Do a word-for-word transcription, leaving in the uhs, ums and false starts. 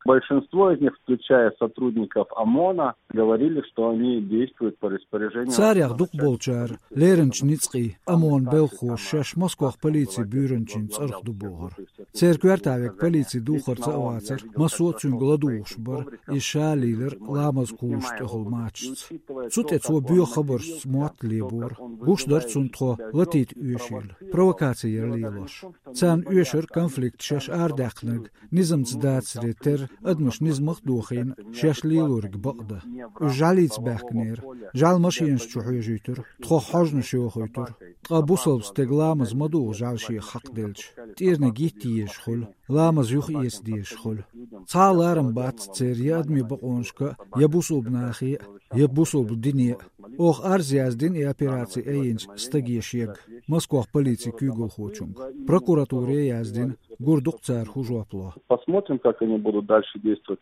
Большинство из них, включая сотрудников ОМОНа, говорили, что они действуют по распоряжению. Царех дукха болчара леринчу ницкъийн ОМОН белхахоша шаьш Москох полицин буьйранчин цӀарах ду бохура. Церан коьрта вега полицин духарца а вацара, массо а цуьнга ладугӀуш бара, иза ша лийлира ламаз кхуллучу тӀехула мачашца. Цу тӀе цо боьха хабаршца мотт лебора. Гуш дара цунна тхо латийта оьшийла, провокаци яра лелош. Царна оьшура конфликт шаьш арадаьккхинарг низамца дацаре терра, адамаш низамах а дохийна, шаьш лелориг бакъдан. Уьш жӀаьлица баьхкинера, жӀаьла машенаш чу хьоьжуьйтура, тхох хьожанаш йохуьйтура. Ткъа бусалба стеган ламаз ма ду жӀаьла шех хьакхаделча, тӀерниг йитта езаш хуьлу, ламаз юха эца дезаш хуьлу. Цхьа а ларам бац церан я адамийн бакъонашка, я бусалба нахе, я бусалба дине. Оха арз яздина и операци айинчу стаге шега, Москох полицин куьйгалхочунга. Прокуратуре а яздина, гур ду-кх цара хӀун жоп ло. Посмотрим, как они будут дальше действовать.